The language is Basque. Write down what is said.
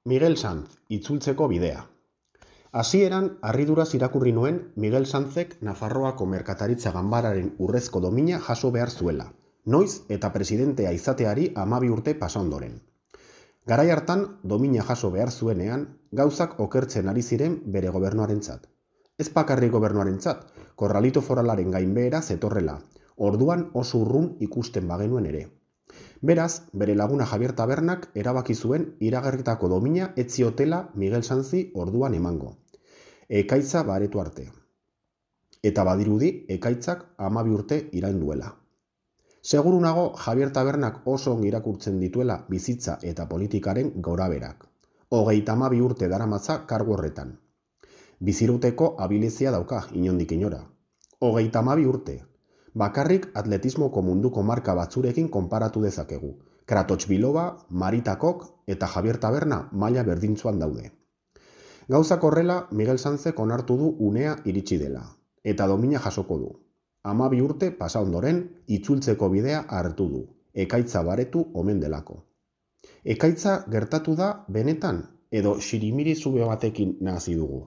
Miguel Sanz, itzultzeko bidea. Hasieran, harriduraz irakurri nuen Miguel Sanzek Nafarroako Merkataritza Ganbararen urrezko domina jaso behar zuela, noiz eta presidentea izateari 12 urte pasa ondoren. Garai hartan, domina jaso behar zuenean, gauzak okertzen ari ziren bere gobernuarentzat. Ez bakarrik gobernuarentzat, korralito foralaren gainbehera zetorrela, orduan oso urrun ikusten bagenuen ere. Beraz, bere laguna Javier Tabernak erabaki zuen iragarritako domina ez ziotela Miguel Sanzi orduan emango. Ekaitza baretu arte. Eta badirudi, ekaitzak 12 urte iraun duela. Seguru nago Javier Tabernak oso ongi irakurtzen dituela bizitza eta politikaren goraberak. 32 urte daramatza kargu horretan. Biziruteko abilezia dauka inondik inora. 32 urte. Bakarrik atletismoko munduko marka batzurekin konparatu dezakegu. Kratochvilova, Marita Kok eta Javier Taberna maila berdintzuan daude. Gauzak horrela, Miguel Sanzek onartu du unea iritsi dela, eta domina jasoko du. 12 urte pasa ondoren, itzultzeko bidea hartu du, ekaitza baretu omen delako. Ekaitza gertatu da benetan, edo xirimiri zube batekin nazi dugu.